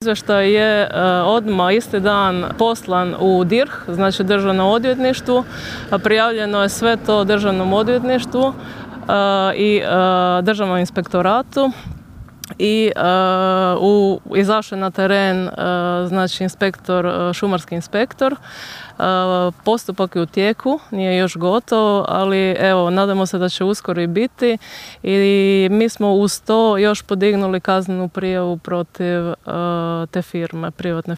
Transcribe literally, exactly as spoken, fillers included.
Izvještaj je odmah isti dan poslan u D I R H, znači Državnom odvjetništvu. Prijavljeno je sve to Državnom odvjetništvu i Državnom inspektoratu i u, izašao je na teren znači inspektor, šumarski inspektor. Postupak je u tijeku, nije još gotov, ali evo, nadamo se da će uskoro i biti i mi smo uz to još podignuli kaznenu prijavu protiv te firme, privatne